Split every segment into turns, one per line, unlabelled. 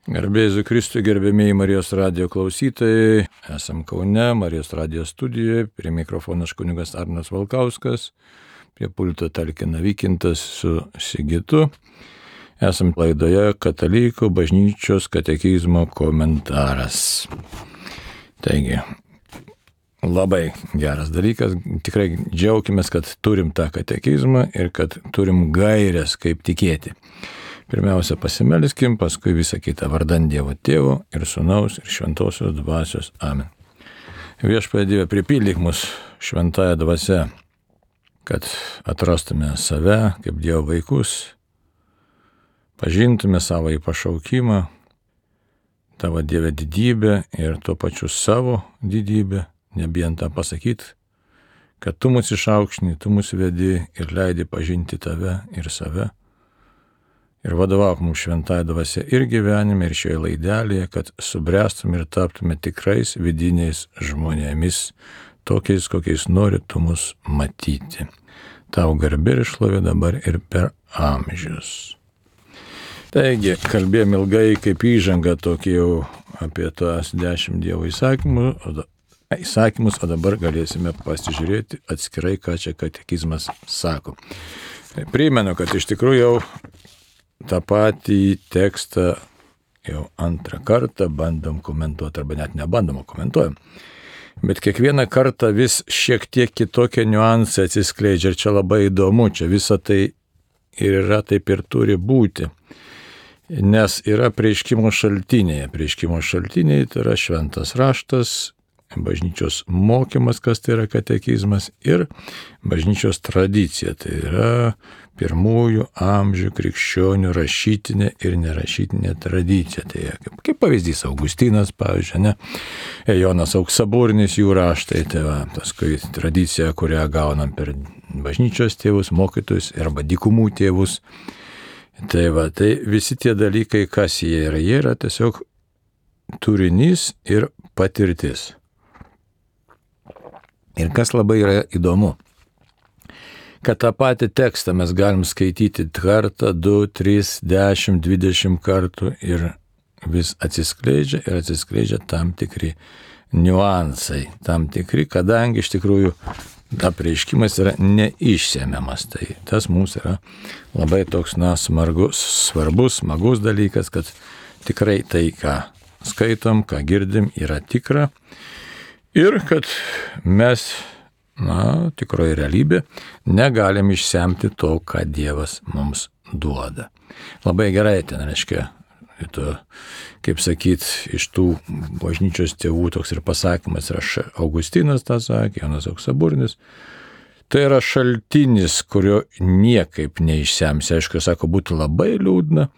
Garbė Jėzui Kristui, gerbėmiai Marijos radijo klausytojai, esam Kaune, Marijos radijo studijoje, prie mikrofonas kunigas Arnas Valkauskas, prie pulto talkina Vykintas su Sigitu. Esam laidoje Katalikų bažnyčios katekizmo komentaras. Taigi, labai geras dalykas, tikrai džiaukimės, kad turim tą katekizmą ir kad turim gairias, kaip tikėti. Pirmiausia pasimelskim, paskui visą kitą vardan Dievo Tėvo ir Sūnaus ir Šventosios Dvasios. Amen. Viešpatie Dieve, pripildyk mus šventąją dvasią, kad atrastume save kaip Dievo vaikus, pažintume savo į pašaukimą, tavo Dieve didybę ir tuo pačiu savo didybę, nebijant tą pasakyti, kad tu mus išaukštini, tu mus vedi ir leidi pažinti tave ir save. Ir vadovauk mums šventąją dvasią ir gyvenime, ir šioje laidelėje, kad subręstume ir taptume tikrais vidiniais žmonėmis, tokiais, kokiais nori tu mus matyti. Tau garbė ir šlovė dabar ir per amžius. Taigi, kalbėjom ilgai kaip įžanga tokį jau apie tas 10 Dievo įsakymus, o dabar galėsime pasižiūrėti atskirai, ką čia katekizmas sako. Primenu, kad iš tikrųjų jau tą patį tekstą jau antrą kartą bandom komentuoti, arba net nebandom, komentuojam. Bet kiekvieną kartą vis šiek tiek kitokie niuansai atsiskleidžia ir čia labai įdomu, čia visa tai ir yra, taip ir turi būti. Nes yra apreiškimo šaltiniai. Apreiškimo šaltiniai tai yra šventas raštas, bažnyčios mokymas, kas tai yra katekizmas, ir bažnyčios tradicija, tai yra pirmųjų amžių krikščionių rašytinė ir nerašytinė tradicija. Tai kaip pavyzdys Augustinas, pavyzdžiui, ne? Jonas Auksaburnis, jų raštai, tai va, paskui tradicija, kurią gaunam per bažnyčios tėvus, mokytojus arba dykumų tėvus. Tai va, tai visi tie dalykai, kas jie yra tiesiog turinys ir patirtis. Ir kas labai yra įdomu, kad tą patį tekstą mes galim skaityti kartą, 2, 3, 10, 20 kartų ir vis atsiskleidžia tam tikri niuansai, tam tikri, kadangi iš tikrųjų apreiškimas yra neišsemiamas. Tai tas mums yra labai toks, svarbus, smagus dalykas, kad tikrai tai, ką skaitom, ką girdim, yra tikra. Ir kad mes, tikroji realybė, negalim išsemti to, ką Dievas mums duoda. Labai gerai ten, reiškia, kaip sakyt, iš tų bažnyčios tėvų toks ir pasakymas yra Augustinas tą sakė, Jonas Auksaburnis. Tai yra šaltinis, kurio niekaip neišsemsi. Aišku, sako, būtų labai liūdna,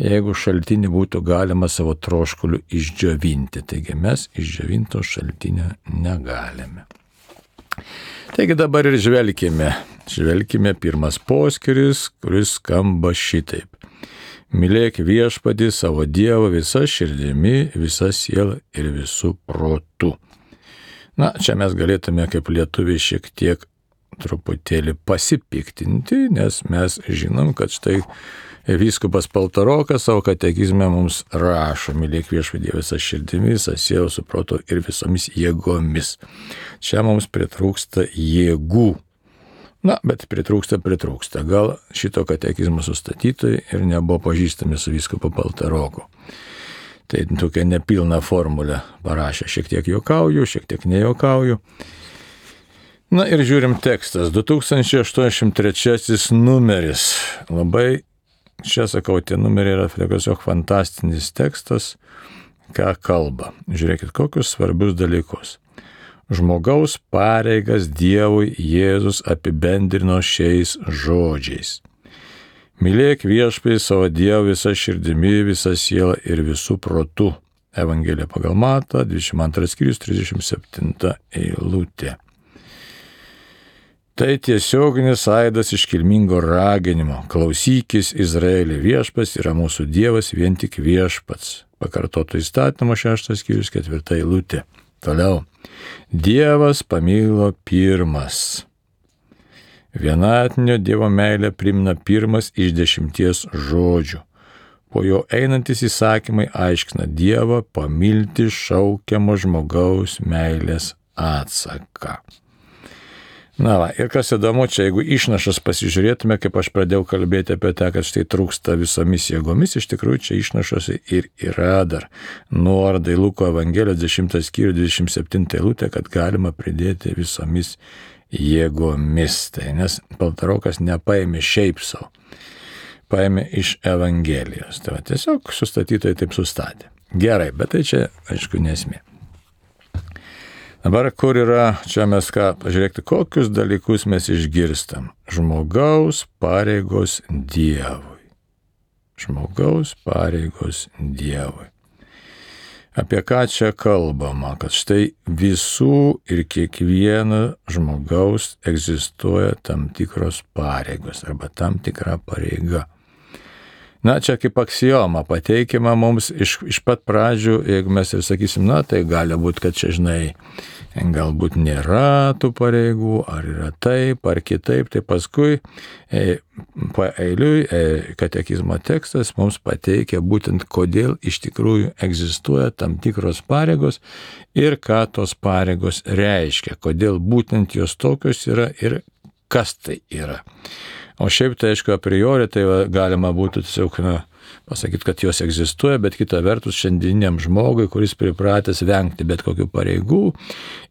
jeigu šaltinį būtų galima savo troškuliu išdžiovinti. Taigi mes išdžiovinto šaltinio negalime. Taigi dabar ir žvelkime pirmas poskyris, kuris skamba šitaip. Mylėk Viešpatį savo Dievą visa širdimi, visa siela ir visų protų. Čia mes galėtume kaip lietuviai šiek tiek truputėlį pasipiktinti, nes mes žinom, kad štai vyskupas Paltarokas savo katekizme mums rašo, mylėk Viešpatį visą širdimi, visą sielą, su protu ir visomis jėgomis. Čia mums pritrūksta jėgų. Bet pritrūksta. Gal šito katekizmo sustatytojai ir nebuvo pažįstami su vyskupu Paltaroku. Tai tokia nepilna formulė parašė. Šiek tiek juokauju, šiek tiek nejuokauju. Ir žiūrim tekstas. 2083 numeris. Labai, čia sakau, tie numeriai yra tiesiog fantastinis tekstas, ką kalba. Žiūrėkit, kokius svarbius dalykus. Žmogaus pareigas Dievui Jėzus apibendrino šiais žodžiais. Mylėk Viešpatį savo Dievą visą širdimi, visą sielą ir visų protų. Evangelija pagal Matą, 22 skyrius, 37 eilutė. Tai tiesioginis aidas iškilmingo raginimo. Klausykis, Izraeli, Viešpats yra mūsų Dievas, vien tik Viešpats. Pakartoto įstatymo 6 skyrius, 4 eilutė. Toliau. Dievas pamilo pirmas. Vienatinio Dievo meilę primena pirmas iš 10 žodžių. po jo einantis įsakymai aiškina Dievo pamilti šaukiamo žmogaus meilės atsaką. Na va, ir kas įdomu, čia jeigu išnašas pasižiūrėtume, kaip aš pradėjau kalbėti apie tą, kad štai trūksta visomis jėgomis, iš tikrųjų čia išnašose ir yra dar nuoroda į Luko Evangelijos 10 skyrių 27 eilutę, kad galima pridėti visomis jėgomis. Tai nes Paltarokas nepaėmė šiaip savo, paėmė iš Evangelijos. Tai va, tiesiog sustatytojai taip sustatė. Gerai, bet tai čia, aišku, nesmė. Dabar kur yra, čia mes pažiūrėkite, kokius dalykus mes išgirstam. Žmogaus pareigos Dievui. Žmogaus pareigos Dievui. Apie ką čia kalbama? Kad štai visų ir kiekvieno žmogaus egzistuoja tam tikros pareigos arba tam tikra pareiga. Na, čia kaip aksioma pateikima mums iš pat pradžių, jeigu mes ir sakysim, na, tai gali būti, kad čia, žinai, galbūt nėra tų pareigų, ar yra taip, ar kitaip, tai paskui paeiliui katekizmo tekstas mums pateikia būtent, kodėl iš tikrųjų egzistuoja tam tikros pareigos ir ką tos pareigos reiškia, kodėl būtent jos tokios yra ir kas tai yra. O šiaip tai, aišku, a priori tai galima būtų tiesiog pasakyti, kad jos egzistuoja, bet kita vertus šiandieniam žmogui, kuris pripratęs vengti bet kokių pareigų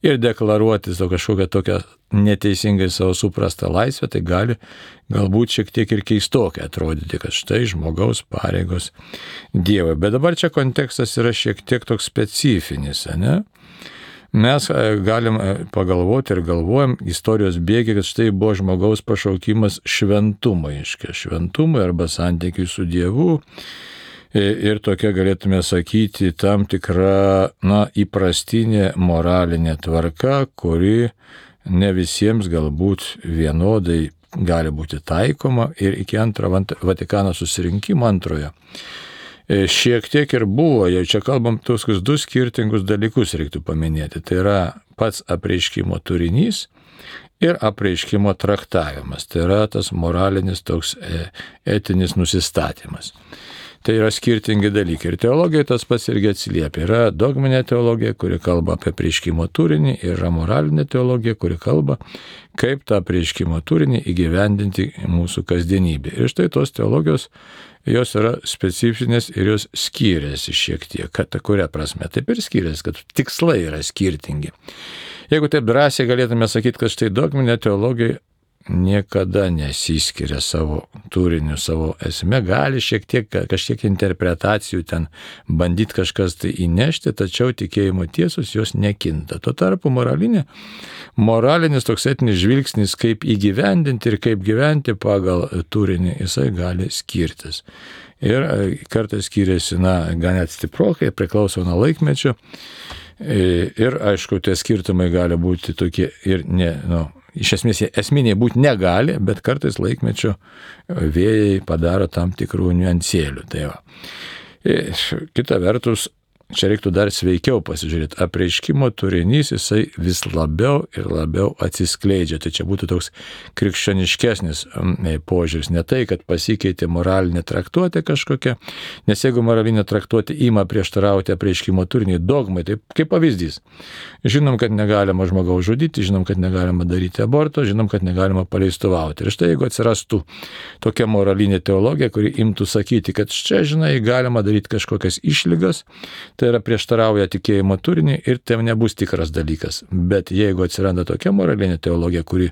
ir deklaruoti kažkokią tokią neteisingai savo suprastą laisvę, tai gali galbūt šiek tiek ir keistokai atrodyti, kad štai žmogaus pareigos Dievui. Bet dabar čia kontekstas yra šiek tiek toks specifinis, ne? Mes galim pagalvoti ir galvojam istorijos bėgi, kad štai buvo žmogaus pašaukimas šventumui, šventumui arba santykiui su Dievu. Ir tokia galėtume sakyti tam tikra, įprastinė moralinė tvarka, kuri ne visiems galbūt vienodai gali būti taikoma ir iki antrojo Vatikano susirinkimo antrojo. Šiek tiek ir buvo, jau čia kalbam tokius du skirtingus dalykus reiktų paminėti. Tai yra pats apreiškimo turinys ir apreiškimo traktavimas. Tai yra tas moralinis toks etinis nusistatymas. Tai yra skirtingi dalykai. Ir teologija tas pats irgi atsiliepia. Yra dogminė teologija, kuri kalba apie apreiškimo turinį, ir yra moralinė teologija, kuri kalba, kaip tą apreiškimo turinį įgyvendinti mūsų kasdienybė. Ir štai tos teologijos, jos yra specifinės ir jos skiriasi šiek tiek. Kad kuria prasme? Taip ir skiriasi, kad tikslai yra skirtingi. Jeigu taip drąsiai galėtume sakyti, kad štai dogminė teologija niekada nesiskiria savo turiniu, savo esme, gali kažkiek interpretacijų ten bandyti kažkas tai įnešti, tačiau tikėjimo tiesos jos nekinta. Tuo tarpu moralinis toks etinis žvilgsnis, kaip įgyvendinti ir kaip gyventi pagal turinį, jisai gali skirtis. Ir kartais skiriasi, gan net stiprokai, priklauso nuo laikmečio. Ir aišku, tie skirtumai gali būti tokie ir iš esmės esminiai būti negali, bet kartais laikmečio vėjai padaro tam tikrų niuansėlių. Tai va. Kita vertus, čia reiktų dar sveikiau pasižiūrėti. Apreiškimo turinys jisai vis labiau ir labiau atsiskleidžia. Tai čia būtų toks krikščioniškesnis požiūris. Ne tai, kad pasikeitė moralinė traktuotė kažkokia, nes jeigu moralinė traktuotė ima prieštarauti apreiškimo turinį dogmai, tai kaip pavyzdys. Žinom, kad negalima žmogaus žudyti, žinom, kad negalima daryti aborto, žinom, kad negalima paleistuvauti. Ir štai jeigu atsirastų tokia moralinė teologija, kuri imtų sakyti, kad čia, žinai, galima daryti kažkokias išlygas, tai yra prieštarauja tikėjimo turinį ir tai nebus tikras dalykas. Bet jeigu atsiranda tokia moralinė teologija, kuri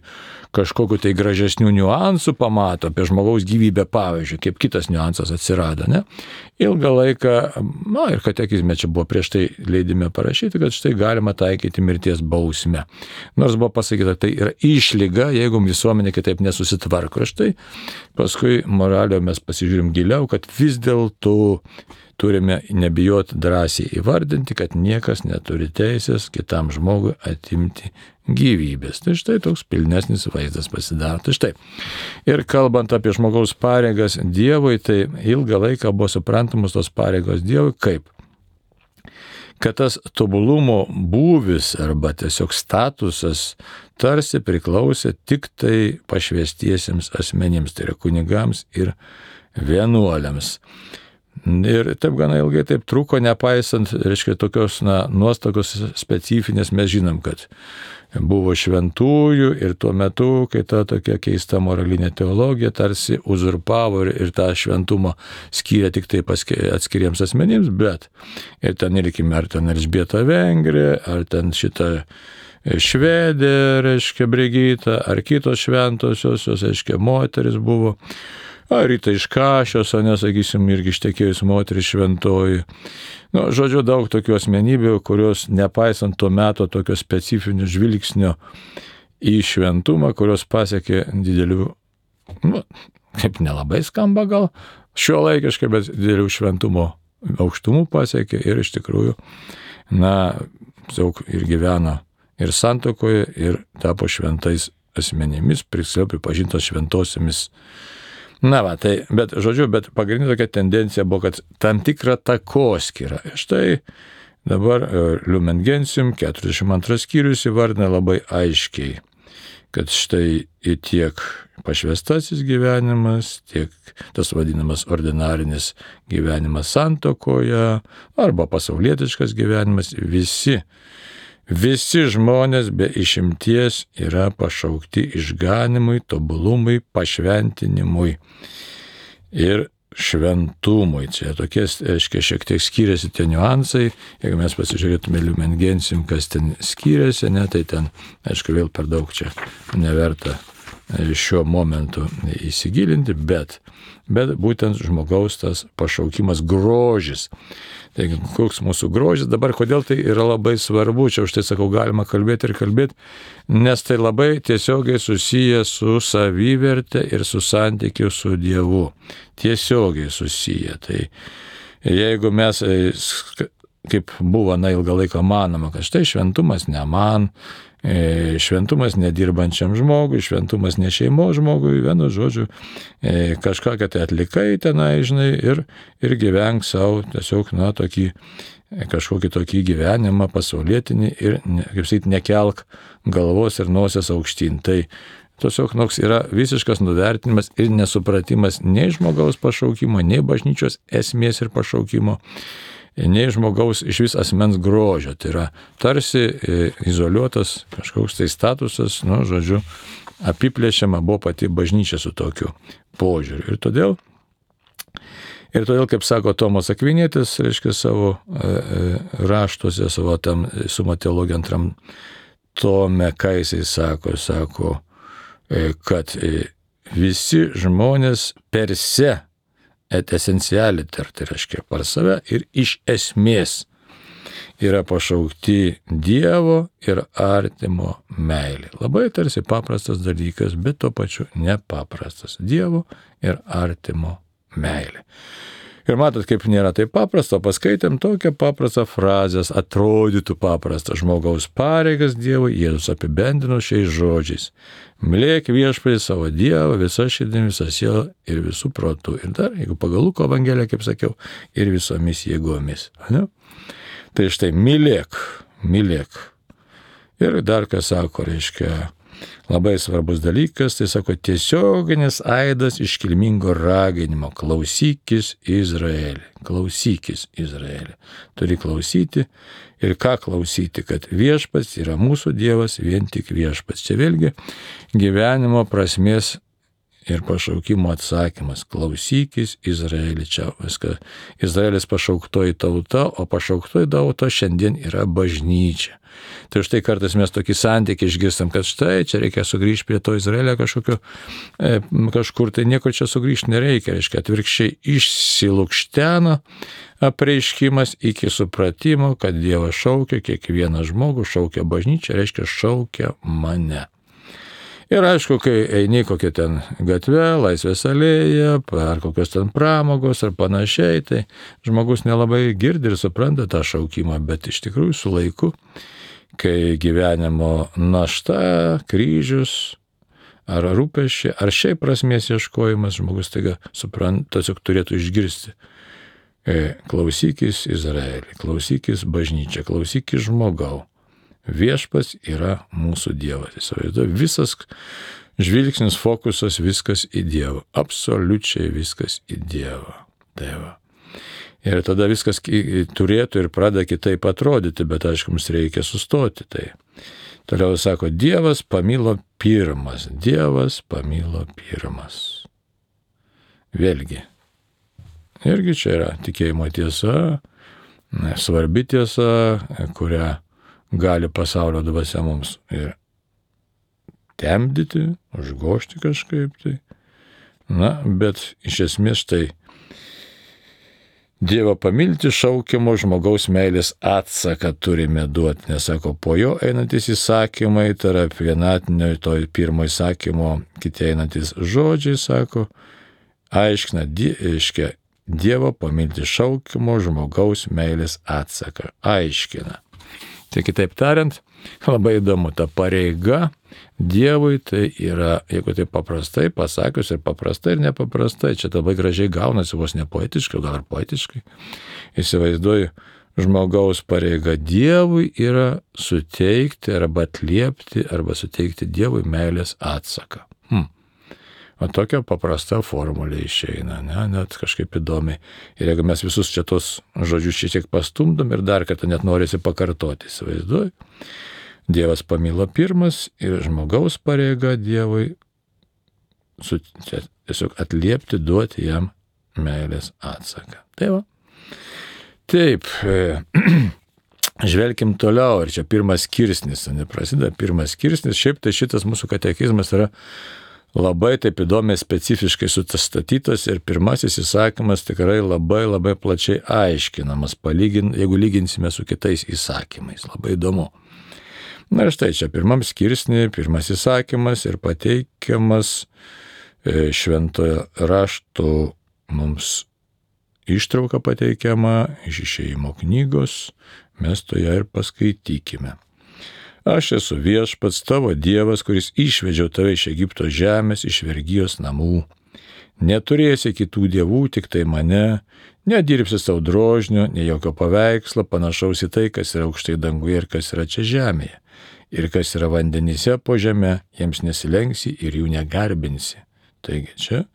kažkokiu tai gražesnių niuansų pamato apie žmogaus gyvybę, pavyzdžiui, kaip kitas niuansas atsirado, ilgą laiką, ir katekizme čia buvo prieš tai leidime parašyti, kad štai galima taikyti mirties bausmę. Nors buvo pasakyta, tai yra išlyga, jeigu visuomenė kitaip nesusitvarko. Štai paskui moralio mes pasižiūrim giliau, kad vis dėlto turime nebijoti drąsiai įvardinti, kad niekas neturi teisės kitam žmogui atimti gyvybės. Tai štai toks pilnesnis vaizdas pasidaro. Tai štai. Ir kalbant apie žmogaus pareigas Dievui, tai ilgą laiką buvo suprantamos tos pareigos Dievui kaip? Kad tas tobulumo būvis arba tiesiog statusas tarsi priklausė tik tai pašvęstiesiems asmenims, tai yra kunigams ir vienuoliams. Ir taip gana ilgai taip truko, nepaisant, reiškia, tokios nuostatos specifinės. Mes žinom, kad buvo šventųjų ir tuo metu, kai ta tokia keista moralinė teologija tarsi uzurpavo ir tą šventumą skyrė tik tai atskiriems asmenims, bet ir ten irkime, ar ten Elžbieta Vengrė, ar ten šita Švedė, reiškia, Brigita, ar kitos šventosios, reiškia, moteris buvo, ar Rita iš Kašios, nesakysim, irgi ištekėjus moteris šventoji. Žodžiu, daug tokių asmenybių, kurios nepaisant to meto tokio specifinio žvilgsnio į šventumą, kurios pasiekė didelių, kaip nelabai skamba gal, šiuolaikiškai, bet didelių šventumo aukštumų pasiekė ir iš tikrųjų, daug ir gyveno ir santuokoje, ir tapo šventais asmenimis, pripažintos šventosiamis. Bet pagrindinė tokia tendencija buvo, kad tam tikra takoskyra. Štai dabar Lumen Gentium 42 skyrius įvardina labai aiškiai, kad štai tiek pašvęstasis gyvenimas, tiek tas vadinamas ordinarinis gyvenimas santuokoje arba pasaulietiškas gyvenimas, visi žmonės be išimties yra pašaukti išganimui, tobulumui, pašventinimui ir šventumui. Čia tokie, reiškia, šiek tiek skiriasi tie niuansai. Jeigu mes pasižiūrėtume Lumen Gentium, kas ten skiriasi, tai ten, aišku, vėl per daug čia neverta šiuo momentu įsigilinti, bet būtent žmogaus tas pašaukimas, grožis. Taigi, koks mūsų grožis dabar, kodėl tai yra labai svarbu, čia už tai sakau, galima kalbėti, nes tai labai tiesiogiai susiję su savivertė ir su santykiu su Dievu. Tiesiogiai susiję. Tai jeigu mes, kaip buvo ilgą laiką manoma, kad štai šventumas ne man, šventumas nedirbančiam žmogui, šventumas ne šeimos žmogui, vienu žodžiu, kažką, kad atlikai tenai, žinai, ir gyvenk savo tiesiog, kažkokį tokį gyvenimą pasaulietinį ir, kaip sakyti, nekelk galvos ir nosies aukštyn. Tai tiesiog yra visiškas nuvertinimas ir nesupratimas nei žmogaus pašaukimo, nei bažnyčios esmės ir pašaukimo, nei žmogaus iš vis asmens grožio. Tai yra tarsi izoliuotas kažkoks tai statusas, žodžiu, apiplėšiama buvo pati bažnyčia su tokiu požiūriu. Ir todėl, kaip sako Tomas Akvinietis, reiškia, savo raštuose, savo tam Summa Theologiae 2 tome, ką jisai sako, kad visi žmonės per se et esencialiter, tai reiškia par save ir iš esmės yra pašaukti Dievo ir artimo meilė. Labai tarsi paprastas dalykas, bet tuo pačiu nepaprastas. Dievo ir artimo meilė. Ir matot, kaip nėra taip paprasta, paskaitėm tokią paprastą frazę, atrodytų paprastą žmogaus pareigas Dievui, Jėzus apibendrino šiais žodžiais. Mylėk viešpatį savo Dievą visą širdimi, visą sielą ir visų protų. Ir dar, jeigu pagal Luko Evangeliją, kaip sakiau, ir visomis jėgomis. Ne? Tai štai, mylėk. Ir dar, ką sako, reiškia, labai svarbus dalykas, tai sako, tiesioginis aidas iškilmingo raginimo. Klausykis Izraeli. Turi klausyti. Ir ką klausyti, kad viešpats yra mūsų Dievas, vien tik viešpats. Čia vėlgi gyvenimo prasmės ir pašaukimo atsakymas. Klausykis Izraeli. Čia viską. Izraelis pašauktoji tauta, o pašauktoji tauta šiandien yra bažnyčia. Tai štai kartais mes tokį santykį išgirstam, kad štai čia reikia sugrįžti prie to Izraelio kažkur, tai niekur čia sugrįžti nereikia. Reiškia, atvirkščiai išsilukšteno apreiškimas iki supratimo, kad Dievas šaukia kiekvieną žmogų, šaukia bažnyčią, reiškia šaukia mane. Ir aišku, kai eini kokią ten gatvę, Laisvės alėją, ar kokios ten pramogos ar panašiai, tai žmogus nelabai girdi ir supranta tą šaukimą, bet iš tikrųjų su laiku, kai gyvenimo našta, kryžius, ar rūpesčiai, ar šiaip prasmės ieškojimas, žmogus taiga supranta, tiesiog turėtų išgirsti. Klausykis Izraelį, klausykis bažnyčią, klausykis žmogau. Viešpats yra mūsų Dievas. Įsivaizduoju, visas žvilgsnis, fokusas, viskas į Dievą. Absoliučiai viskas į Dievą. Tai va. Ir tada viskas turėtų ir pradeda kitaip atrodyti, bet aišku, mums reikia sustoti. Tai toliau sako, Dievas pamilo pirmas. Dievas pamilo pirmas. Vėlgi. Irgi čia yra tikėjimo tiesa, svarbi tiesa, kurią gali pasaulio dvasia mums ir temdyti, užgožti kažkaip tai. Na, bet iš esmės štai Dievą pamilti šaukiamo žmogaus meilės atsaką turime duoti, nes sako, po jo einantis įsakymai, tarp vienatinio to pirmo įsakymo kiti einantis žodžiai, sako, aiškina, Dievo pamilti šaukiamo žmogaus meilės atsaką. Aiškina. Tai kitaip tariant, labai įdomu, ta pareiga Dievui tai yra, jeigu tai paprastai pasakius, ir paprastai, ir nepaprastai, čia labai gražiai gaunasi, vos ne poetiškai, gal ir poetiškai. Įsivaizduoju, žmogaus pareiga Dievui yra suteikti arba atliepti, arba suteikti Dievui meilės atsaką. O tokia paprasta formulė išeina, ne? Net kažkaip įdomiai. Ir jeigu mes visus čia tos žodžius šiek tiek pastumdom ir dar kartą net norisi pakartoti, įsivaizduoju. Dievas pamilo pirmas ir žmogaus pareiga Dievui tiesiog atliepti, duoti jam meilės atsaką. Tai va. Taip, žvelkim toliau, ir čia pirmas skirsnis, neprasideda pirmas skirsnis, šiaip tai šitas mūsų katekizmas yra labai taip įdomiai specifiškai sustatytas ir pirmasis įsakymas tikrai labai labai plačiai aiškinamas, jeigu lyginsime su kitais įsakymais. Labai įdomu. Na ir štai čia pirmam skirsnį, pirmas įsakymas ir pateikiamas šventojo rašto mums ištrauka pateikiama iš Išėjimo knygos, mes to ją ir paskaitykime. Aš esu viešpats tavo Dievas, kuris išvedžiau tave iš Egipto žemės, iš vergijos namų. Neturėsi kitų dievų, tik tai mane, nedirbsi savo drožnio, nei jokio paveikslo, panašaus į tai, kas yra aukštai danguje ir kas yra čia žemėje. Ir kas yra vandenyse po žemę, jiems nesilenksi ir jų negarbinsi. Taigi čia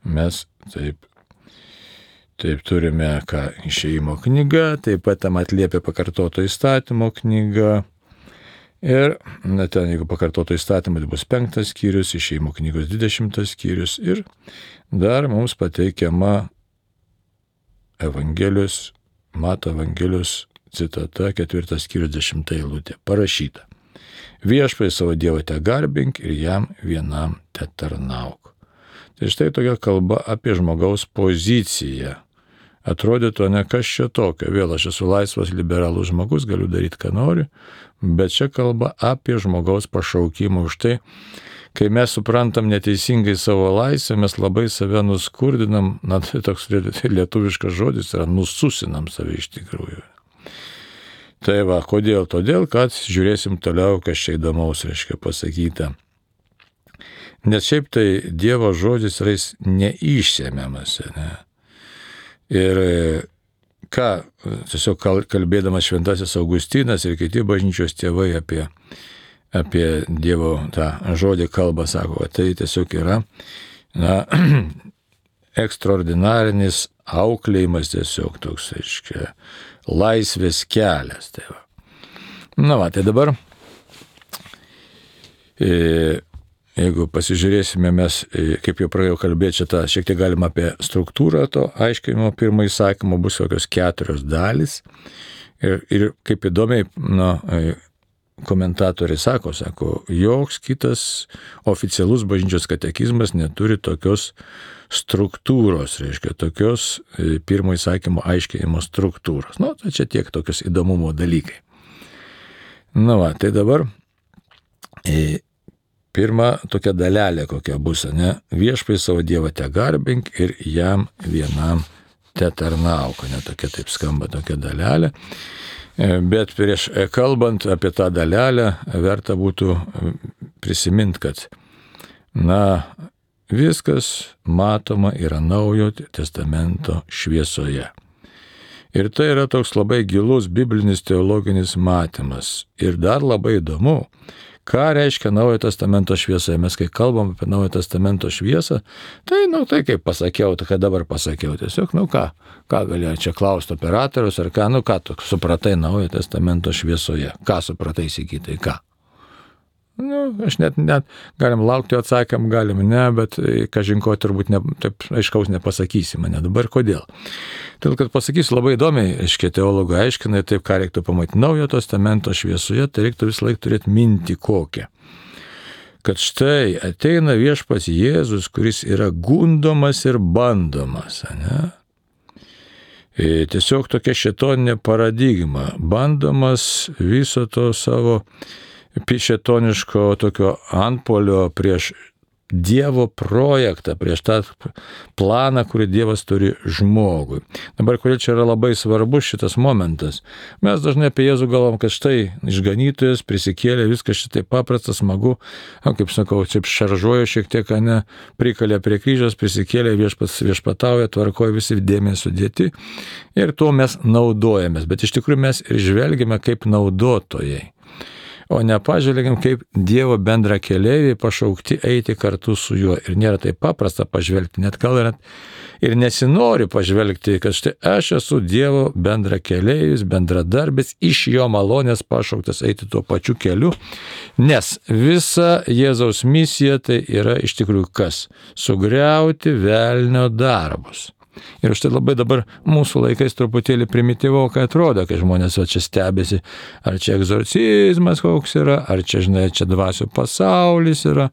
mes taip turime Išėjimo knyga, taip pat tam atliepia pakartoto įstatymo knyga. Ir ten, jeigu pakartoto įstatymą, tai bus 5 skyrius, Išėjimo knygos 20 skyrius ir dar mums pateikiama Evangelijos, Mato Evangelijos citata 4 skyrius 10 eilutė. Parašyta. Viešpatie savo Dievą te garbink ir jam vienam te tarnauk. Tai štai tokia kalba apie žmogaus poziciją. Atrodytų, ne kas čia tokio, vėl aš esu laisvas liberalus žmogus, galiu daryti, ką noriu, bet čia kalba apie žmogaus pašaukimą. Už tai, kai mes suprantam neteisingai savo laisvę, mes labai save nuskurdinam, na tai toks lietuviškas žodis yra, nususinam save iš tikrųjų. Tai va, kodėl? Todėl, kad žiūrėsim toliau, kas čia įdomaus reiškia pasakyta. Nes šiaip tai Dievo žodis yra neišsemiamas, ne? Ir ką, tiesiog kalbėdamas šventasis Augustinas ir kiti bažnyčios tėvai apie Dievo tą žodį kalbą, sako, tai tiesiog yra ekstraordinarinis auklėjimas, tiesiog toks, aiškia, laisvės kelias. Tai va. Na va, tai dabar jeigu pasižiūrėsime mes, kaip jau pradėjau kalbėti, šitą šiek tiek galima apie struktūrą to aiškinimo pirmo įsakymo, bus kokios 4 dalys. Ir kaip įdomiai komentatoriai sako, joks kitas oficialus bažnyčios katekizmas neturi tokios struktūros, reiškia, tokios pirmo įsakymo aiškinimo struktūros. Nu, tai čia tiek tokios įdomumo dalykai. Na va, tai dabar pirma tokia dalelė kokia bus, ne? Viešpatie savo Dievą te garbink ir jam vienam te tarnauk, ne? Tokia taip skamba tokia dalelė. Bet prieš kalbant apie tą dalelę, verta būtų prisiminti, kad viskas matoma yra Naujojo testamento šviesoje. Ir tai yra toks labai gilus biblinis teologinis matymas. Ir dar labai įdomu, ką reiškia Naujojo testamento šviesoje. Mes kai kalbam apie Naujojo testamento šviesą, tai, tai kaip pasakiau, tai ką dabar pasakiau. Tiesiog, ką galėjo čia klausti operatorius, ar ką, ką tu supratai Naujojo testamento šviesoje. Ką supratai, Sigitai, ką? Aš net galim laukti atsakymą, galim ne, bet kažinko turbūt taip aiškaus nepasakysi mane. Dabar kodėl? Todėl, kad pasakysiu labai įdomiai, teologai aiškina, taip ką reiktų pamatyti Naujojo testamento šviesoje, tai reiktų visą laiką turėti mintį kokią. Kad štai ateina viešpats Jėzus, kuris yra gundomas ir bandomas, ne? Tiesiog tokia šėtoninė paradigma, bandomas viso to savo šėtoniško tokio antpuolio prieš Dievo projektą, prieš tą planą, kurį Dievas turi žmogui. Dabar, kodėl čia yra labai svarbus šitas momentas? Mes dažnai apie Jėzų galvom, kad štai išganytojas prisikėlė, viskas šitai paprasta, smagu, kaip sakau, čia šaržuoju šiek tiek, prikalė prie kryžiaus, prisikėlė, viešpatauja, tvarkoja, visi dėmesį sudėti ir tuo mes naudojamės. Bet iš tikrųjų mes ir žvelgiame kaip naudotojai. O nepažvelgiam kaip Dievo bendra keleiviai pašaukti eiti kartu su juo. Ir nėra taip paprasta pažvelgti, net gal ir nesinori pažvelgti, kad štai aš esu Dievo bendra keleivis, bendradarbis, iš jo malonės pašauktas eiti tuo pačiu keliu, nes visa Jėzaus misija tai yra iš tikrųjų kas? Sugriauti velnio darbus. Ir štai labai dabar mūsų laikais truputėlį primityvokai atrodo, kai žmonės čia stebėsi, ar čia egzorcizmas koks yra, ar čia, čia dvasių pasaulis yra.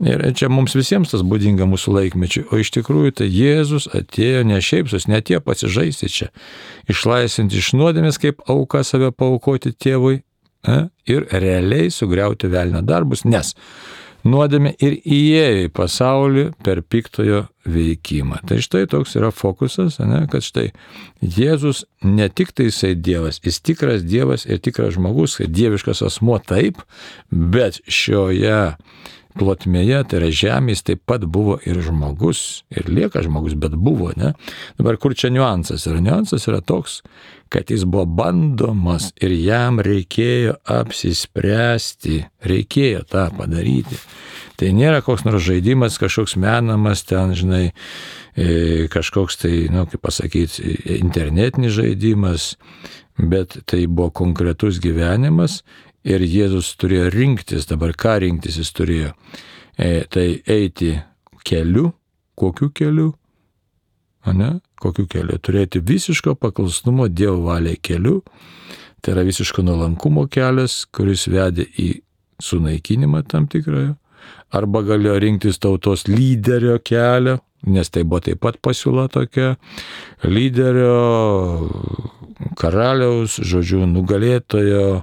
Ir čia mums visiems tas būdinga mūsų laikmečiui. O iš tikrųjų tai Jėzus atėjo ne šiaip sus, ne tie pasižaisti čia, išlaisvinti iš nuodėmės, kaip auką save paaukoti tėvui, ir realiai sugriauti velnio darbus, nes nuodėmė ir įėjo į pasaulį per piktojo veikimą. Tai štai toks yra fokusas, kad štai Jėzus ne tik tai jisai Dievas, jis tikras Dievas ir tikras žmogus, dieviškas asmuo taip, bet šioje plotmėje, tai yra žemės, taip pat buvo ir žmogus, ir lieka žmogus, bet buvo, ne? Dabar kur čia niuansas yra? Niuansas yra toks, kad jis buvo bandomas ir jam reikėjo apsispręsti, reikėjo tą padaryti. Tai nėra koks nors žaidimas, kažkoks menamas ten, kažkoks tai, kaip pasakyti, internetinis žaidimas, bet tai buvo konkretus gyvenimas ir Jėzus turėjo rinktis, dabar ką rinktis jis turėjo, tai eiti keliu, kokiu keliu? Kokiu keliu? Turėti visiško paklusnumo Dievo valiai keliu, tai yra visiško nuolankumo kelias, kuris vedė į sunaikinimą tam tikrąją, arba galėjo rinktis tautos lyderio kelią, nes tai buvo taip pat pasiūla tokia, lyderio, karaliaus, nugalėtojo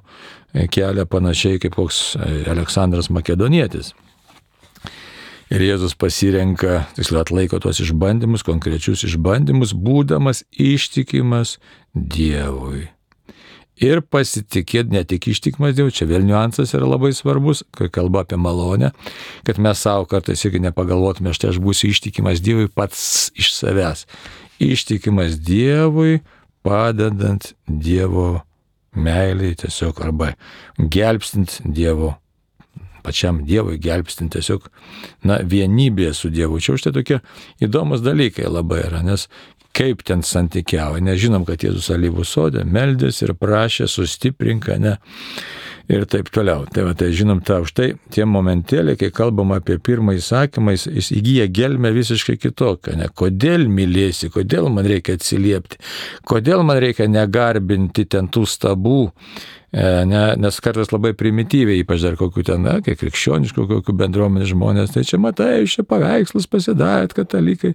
kelią panašiai kaip koks Aleksandras Makedonietis. Ir Jėzus pasirenka, tiksliau atlaiko tuos išbandymus, konkrečius išbandymus, būdamas ištikimas Dievui. Ir pasitikėti, ne tik ištikimas Dievui, čia vėl niuansas yra labai svarbus, kai kalba apie malonę, kad mes savo kartais irgi nepagalvotume, štai aš būsiu ištikimas Dievui pats iš savęs. Ištikimas Dievui, padedant Dievo meiliai tiesiog, arba gelbstint Dievo, pačiam Dievui gelbstint tiesiog, vienybėje su Dievu. Čia už tai tokie įdomus dalykai labai yra, nes kaip ten santykiavo, nežinom, kad Jėzus alyvų sode meldėsi ir prašė sustiprink, ir taip toliau. Tai žinom tą už tai, tie momentėliai, kai kalbam apie pirmą įsakymą, jis įgyja gelmę visiškai kitokią. Kodėl mylėsi, kodėl man reikia atsiliepti, kodėl man reikia negarbinti ten tų stabų, nes kartais labai primityviai, ypač dar kokių ten, kai krikščioniškų, kokių bendruomenės žmonės, tai čia matai, čia paveikslus pasidarėt, katalikai.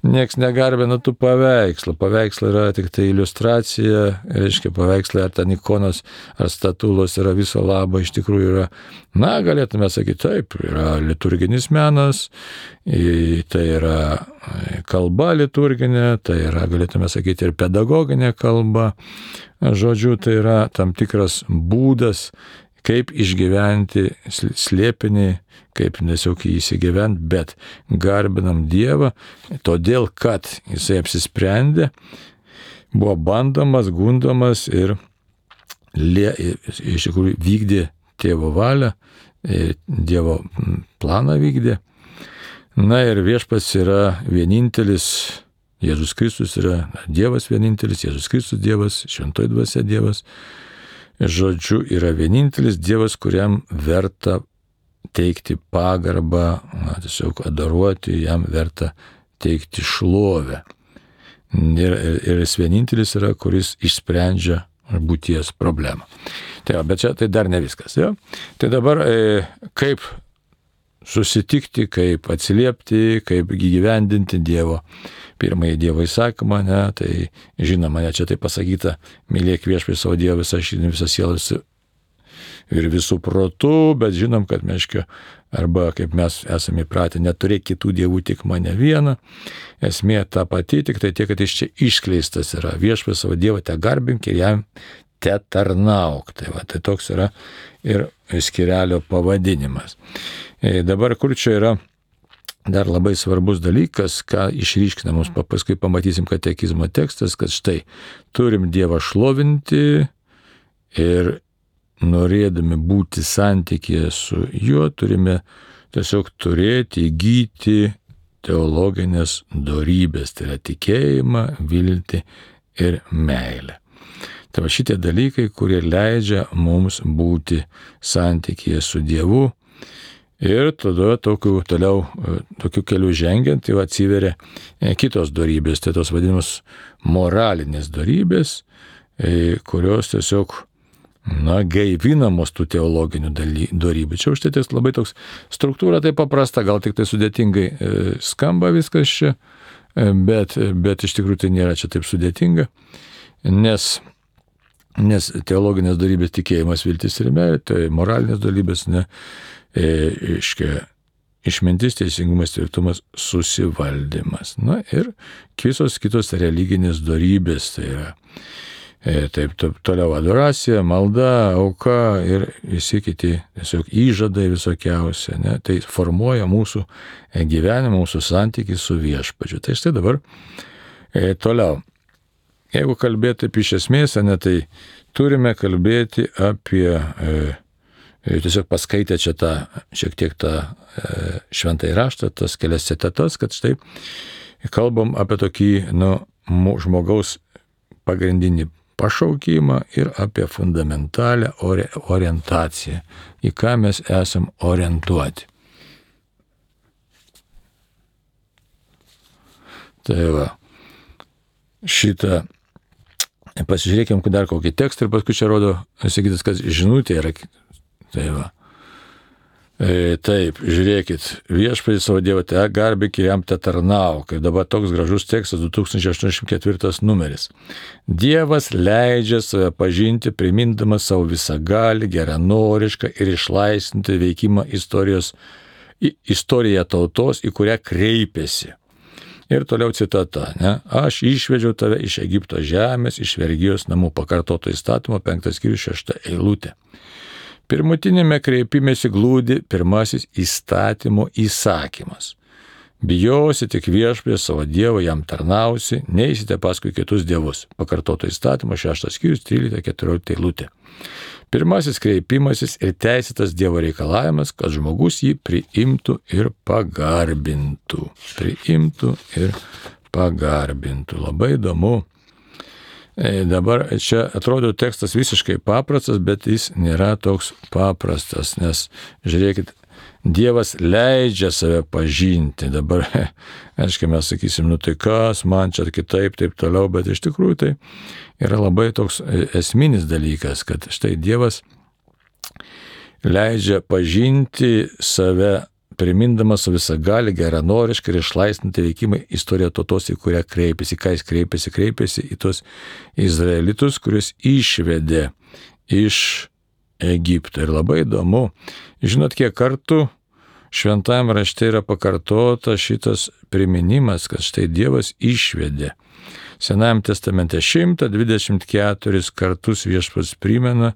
Nieks negarbina tų paveikslų. Paveikslai yra tik tai iliustracija, reiškia paveikslai ar ten ikonos, ar statulos yra viso labo, iš tikrųjų yra, galėtume sakyti, taip, yra liturginis menas, tai yra kalba liturginė, tai yra, galėtume sakyti, ir pedagoginė kalba. Žodžiu, tai yra tam tikras būdas, kaip išgyventi slėpinį, kaip tiesiog įsigyventi, bet garbinam Dievą, todėl, kad jisai apsisprendė buvo bandomas, gundomas ir iš tikrųjų vykdė tėvo valią, Dievo planą vykdė. Na ir viešpats yra vienintelis, Jėzus Kristus yra Dievas vienintelis, Jėzus Kristus Dievas, šventoji dvasia Dievas. Žodžiu, yra vienintelis Dievas, kuriam verta teikti pagarbą, tiesiog adoruoti, jam verta teikti šlovę. Ir jis vienintelis yra, kuris išsprendžia būties problemą. Bet čia tai dar ne viskas. Jo? Tai dabar kaip susitikti, kaip atsiliepti, kaip gyvendinti pirmąjį Dievo įsakymą, tai žinoma, čia tai pasakyta, mylėk viešpatį savo Dievą visą širdį, visą sielą ir visų protų, bet žinom, kad arba kaip mes esame įpratę, neturėk kitų dievų, tik mane vieną. Esmė ta pati, tik tai tiek, kad iš čia iškleistas yra viešpatį savo Dievą te garbink ir jam te tarnauk. Tai toks yra ir skyrelio pavadinimas. Dabar kur čia yra dar labai svarbus dalykas, ką išryškina mums, paskui pamatysim katekizmo tekstas, kad štai turim Dievą šlovinti ir norėdami būti santykėje su juo, turime tiesiog turėti, įgyti teologinės dorybės, tai yra tikėjimą, viltį ir meilę. Tai va šitie dalykai, kurie leidžia mums būti santykėje su Dievu ir tada tokiu keliu žengiant jau atsiveria kitos dorybės, tai tos vadinamos moralinės dorybės, kurios tiesiog gaivinamos tų teologinių dorybių. Čia užtai labai toks struktūra tai paprasta, gal tik tai sudėtingai skamba viskas čia, bet iš tikrųjų tai nėra čia taip sudėtinga, nes teologinės dorybės tikėjimas, viltis ir meilė, tai moralinės dorybės, išmintis, teisingumas, tvirtumas, susivaldymas. Ir visos kitos religinės dorybės, tai yra taip toliau adoracija, malda, auka ir visi kiti tiesiog įžadai visokiausia. Tai formuoja mūsų gyvenimą, mūsų santykį su viešpačiu. Tai štai dabar toliau. Jeigu kalbėti apie iš esmės, tai turime kalbėti apie, tiesiog paskaitę čia šiek tiek tą šventąjį raštą, tas kelias citatas, kad štai kalbam apie tokį žmogaus pagrindinį pašaukimą ir apie fundamentalią orientaciją, į ką mes esam orientuoti. Tai va, šitą, pasižiūrėkim dar kokį tekstą ir paskui čia rodo, sakytas, kad žinutė yra. Tai va. Taip, žiūrėkit, viešpatį savo Dievą te garbink ir jam te tarnauk. Ir dabar toks gražus tekstas, 2084 numeris. Dievas leidžia save pažinti, primindamas savo visagalį, geranorišką ir išlaisvinti veikimą istoriją tautos, į kurią kreipėsi. Ir toliau citata, aš išvedžiau tave iš Egipto žemės, iš vergijos namų, pakartoto įstatymo, 5 skyrius 6 eilutė. Pirmutinėme kreipimėsi glūdi pirmasis įstatymo įsakymas. Bijosi tik viešpatį savo Dievą, jam tarnausi, neisite paskui kitus dievus. Pakartoto įstatymo 6 skyrius 13-14 eilutė. Pirmasis kreipimasis ir teisėtas Dievo reikalavimas, kad žmogus jį priimtų ir pagarbintų. Labai įdomu. Dabar čia atrodo tekstas visiškai paprastas, bet jis nėra toks paprastas, nes žiūrėkit, Dievas leidžia save pažinti. Dabar, aiškiai, mes sakysim, tai kas, man čia kitaip, taip toliau, bet iš tikrųjų tai yra labai toks esminis dalykas, kad štai Dievas leidžia pažinti save, primindamas visagalį, geranorišką ir išlaisvinti veikimą istoriją tautos, į kurią kreipėsi. Ką jis kreipėsi į tos izraelitus, kuriuos išvedė iš Egipto. Ir labai įdomu, žinot, kiek kartų šventajame rašte yra pakartota šitas priminimas, kad štai Dievas išvedė. Senajame testamente 124 kartus viešpats primena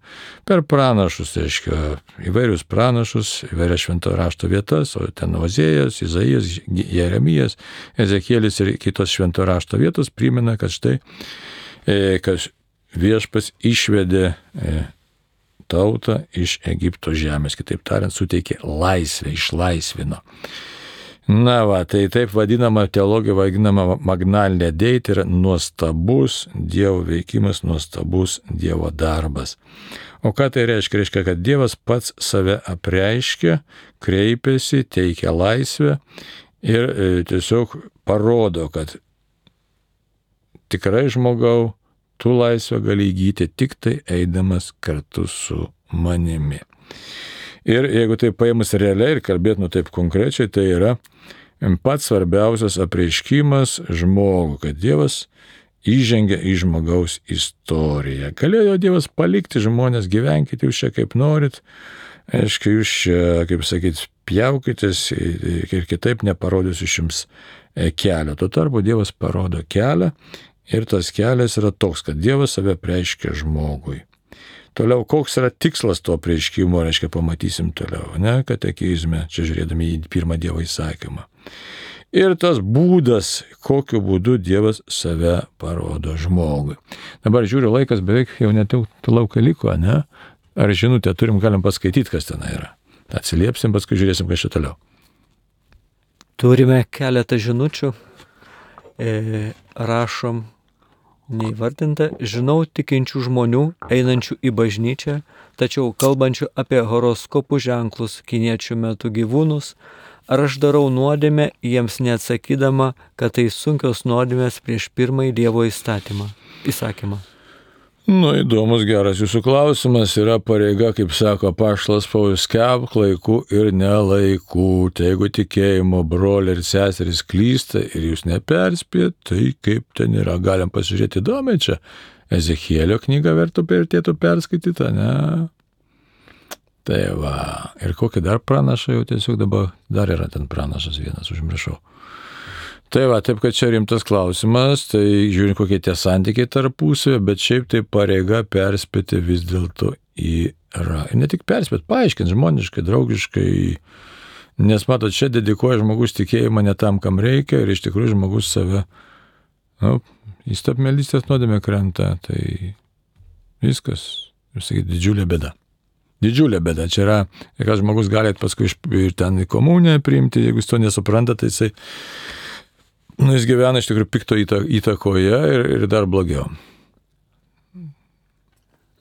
per pranašus, tai reiškia įvairius pranašus, įvairias šventojo rašto vietas, o ten Ozėjas, Izaijas, Jeremijas, Ezekielis ir kitos šventojo rašto vietos primena, kad štai kad viešpats išvedė tautą iš Egipto žemės, kitaip tariant, suteikė laisvę, išlaisvino. Na va, tai taip vadinama, teologija vadinama magnalinė dei, tai yra nuostabus Dievo veikimas, nuostabus Dievo darbas. O ką tai reiškia? Reiškia, kad Dievas pats save apreiškia, kreipiasi, teikia laisvę ir tiesiog parodo, kad tikrai žmogau, tu laisvę gali įgyti tik tai eidamas kartu su manimi. Ir jeigu tai paėmus realiai ir kalbėtume taip konkrečiai, tai yra pats svarbiausias apreiškimas žmogų, kad Dievas įžengia į žmogaus istoriją. Galėjo Dievas palikti žmonės, gyvenkite jūs čia kaip norit, aiškiai jūs čia, kaip sakyt, pjaukitės ir kitaip neparodysiu jums kelio. Tuo tarpu Dievas parodo kelią ir tas kelias yra toks, kad Dievas save apreiškia žmogui. Toliau, koks yra tikslas to apreiškimo, reiškia, pamatysim toliau, ne, katekizme, čia žiūrėdami į pirmą Dievo įsakymą. Ir tas būdas, kokiu būdu Dievas save parodo žmogui. Dabar žiūriu, laikas beveik jau net laukai liko, ne? Ar žinutę turim, galim paskaityti, kas ten yra. Atsiliepsim, paskui žiūrėsim, kas čia toliau.
Turime keletą žinučių. Rašom neįvardinta, žinau tikinčių žmonių, einančių į bažnyčią, tačiau kalbančių apie horoskopų ženklus, kiniečių metų gyvūnus, ar aš darau nuodėmę, jiems neatsakydama, kad tai sunkios nuodėmės prieš pirmąjį Dievo įsakymą.
Įdomus, geras jūsų klausimas. Yra pareiga, kaip sako apaštalas Paulius, skelbk laiku ir nelaiku. Tai jeigu tikėjimo broliai ir seserys klysta ir jūs neperspėt, tai kaip ten yra. Galim pasižiūrėti įdomiai čia. Ezechielio knygą vertėtų perskaityti, ne? Tai va. Ir kokį dar pranašą jau tiesiog dabar, dar yra ten pranašas vienas, užmiršau. Tai va, taip, kad čia rimtas klausimas, tai žiūrint, kokie tie santykiai tarpusavio, bet šiaip tai pareiga perspėti vis dėlto yra. Ir ne tik perspėti, paaiškinti žmoniškai, draugiškai, nes matot, čia dedikuoja žmogus tikėjimą ne tam, kam reikia, ir iš tikrųjų žmogus save, į stabmelystės nuodėmę krenta, tai viskas, ir sakyti, didžiulė bėda. Didžiulė bėda. Čia yra, kad žmogus gali paskui ir ten į komuniją priimti, jeigu jis to nesupranta, tai jisai jis gyvena iš tikrųjų pikto įtakoje ir dar blogiau.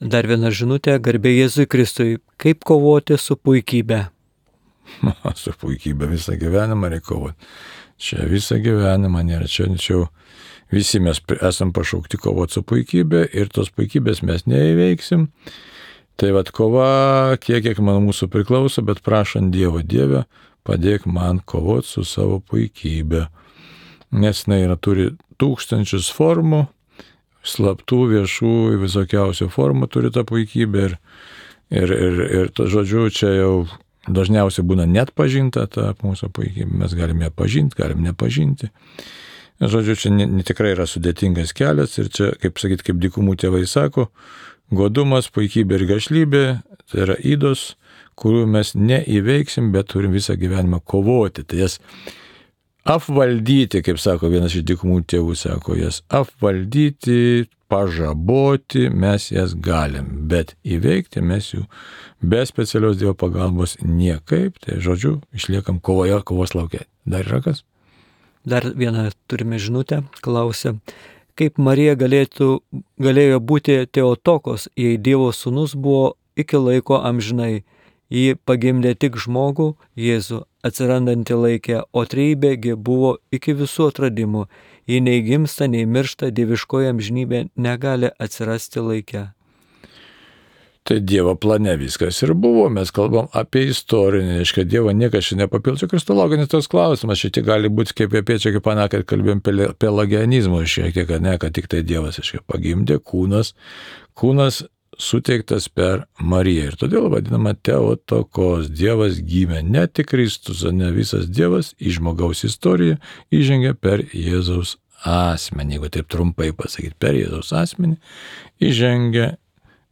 Dar viena žinutė, garbė Jėzui Kristui. Kaip kovoti su puikybė?
Su puikybė visą gyvenimą reikia kovoti. Čia visą gyvenimą nėra. Čia visi mes esam pašaukti kovoti su puikybė ir tos puikybės mes neįveiksim. Tai vat kova, kiek man mūsų priklauso, bet prašant Dievo, Dieve, padėk man kovoti su savo puikybė. Nes jinai turi tūkstančius formų, slaptų, viešų, visokiausių formų turi tą puikybę ir to žodžiu, čia jau dažniausiai būna net pažinta ta mūsų puikybė, mes galime ją pažinti, galim nepažinti. Žodžiu, čia tikrai yra sudėtingas kelias ir čia, kaip sakyti, kaip dykumų tėvai sako, godumas, puikybė ir gašlybė, tai yra ydos, kurių mes neįveiksim, bet turim visą gyvenimą kovoti. Tai jas apvaldyti, kaip sako vienas iš dykumų tėvų, sako, jas apvaldyti, pažaboti, mes jas galim, bet įveikti mes jų be specialios Dievo pagalbos niekaip, tai žodžiu, išliekam kovoje, kovos lauke. Dar yra kas?
Dar vieną turime žinutę, klausia, kaip Marija galėjo būti Teotokos, jei Dievo sūnus buvo iki laiko amžinai. Ji pagimdė tik žmogų, Jėzų, atsirandantį laikę, o trejybėgi buvo iki visų atradimų. Ji nei gimsta, nei miršta, dieviškoji amžinybė negali atsirasti laikę.
Tai Dievo plane viskas ir buvo, mes kalbam apie istorinį, reiškia, Dievo niekas čia nepapildo, kristologinis toks klausimas, šitie gali būti kaip apie čia, kaip kad kalbėjom pelagianizmo šiek tiek, ne, kad tik tai Dievas, reiškia, pagimdė kūnas suteiktas per Mariją. Ir todėl vadinama Teotokos. Dievas gimė, ne tik Kristus, ne visas Dievas į žmogaus istoriją įžengia per Jėzaus asmenį. Jeigu taip trumpai pasakyti, per Jėzaus asmenį įžengia,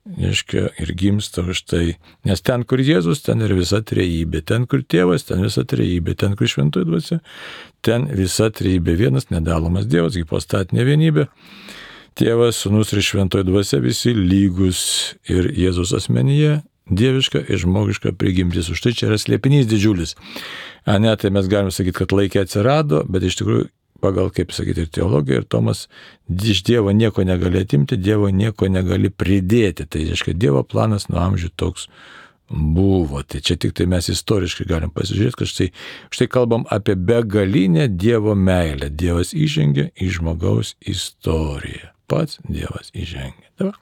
reiškia, ir gimsta už tai. Nes ten, kur Jėzus, ten ir visa trejybė. Ten, kur Tėvas, ten visa trejybė. Ten, kur Šventoji Dvasia, ten visa trejybė. Vienas nedalomas Dievas, hipostatinė vienybė. Tėvas, Sūnus ir Šventoji Dvasia visi lygus ir Jėzus asmenyje dieviška ir žmogiška prigimtis. Už tai čia yra slėpinys didžiulis. Tai mes galim sakyti, kad laikė atsirado, bet iš tikrųjų pagal, kaip sakyti, ir teologija, ir Tomas, iš Dievo nieko negali atimti, Dievo nieko negali pridėti. Tai reiškia, Dievo planas nuo amžių toks buvo. Tai čia tik tai mes istoriškai galim pasižiūrėti, kad štai kalbam apie begalinę Dievo meilę. Dievas įžengė į žmogaus istoriją. Pats Dievas įžengė. Dabar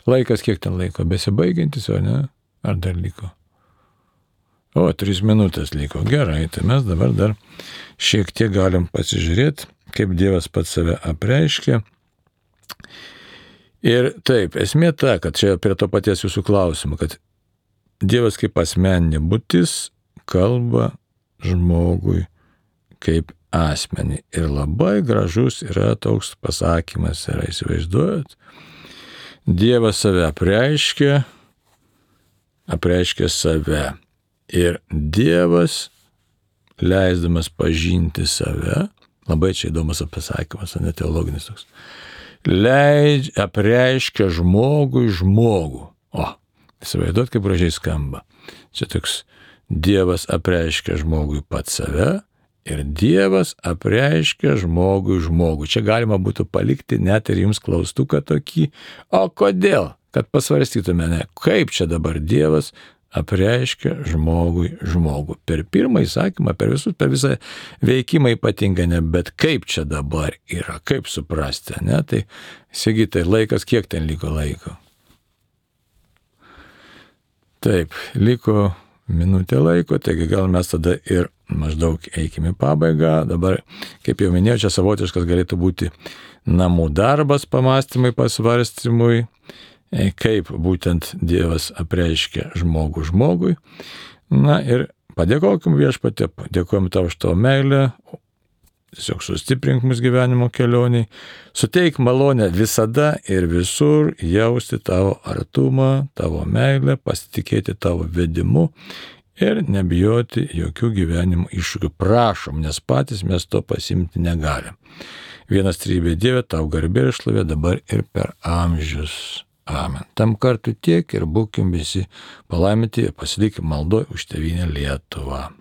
laikas, kiek ten laiko? Besibaigiantis, o ne? Ar dar liko? 3 minutės liko. Gerai, tai mes dabar dar šiek tiek galim pasižiūrėti, kaip Dievas pats save apreiškia. Ir taip, esmė ta, kad čia prie to paties jūsų klausimo, kad Dievas kaip asmeninė būtis kalba žmogui kaip asmenį. Ir labai gražus yra toks pasakymas, yra, įsivaizduojat. Dievas save apreiškia save. Ir Dievas, leisdamas pažinti save, labai čia įdomus pasakymas, ne teologinis toks, apreiškia žmogui žmogų. Įsivaizduot, kaip gražiai skamba. Čia toks Dievas apreiškia žmogui pats save ir Dievas apreiškia žmogui žmogų. Čia galima būtų palikti net ir jums klaustuką tokį, o kodėl? Kad pasvarstytume, kaip čia dabar Dievas apreiškia žmogui žmogų. Per pirmą įsakymą, per visą veikimą ypatingai, bet kaip čia dabar yra, kaip suprasti, ne? Tai, Sigitai, laikas, kiek ten liko laiko? Taip, liko minutė laiko, taigi gal mes tada ir maždaug eikime į pabaigą. Dabar, kaip jau minėjau, čia savotiškas galėtų būti namų darbas, pamastymai, pasvarstymui, kaip būtent Dievas apreiškia žmogų žmogui. Ir padėkokim Viešpatie, dėkojom tau už tavo meilę, tiesiog sustiprink mus gyvenimo kelioniai, suteik malonę visada ir visur jausti tavo artumą, tavo meilę, pasitikėti tavo vedimu ir nebijoti jokių gyvenimo iššūkių. Prašom, nes patys mes to pasimti negalim. Vienas trybė Dieve, tau garbė ir šlovė dabar ir per amžius. Amen. Tam kartu tiek ir būkim visi palaiminti ir pasilikim maldoj už tėvynę Lietuvą.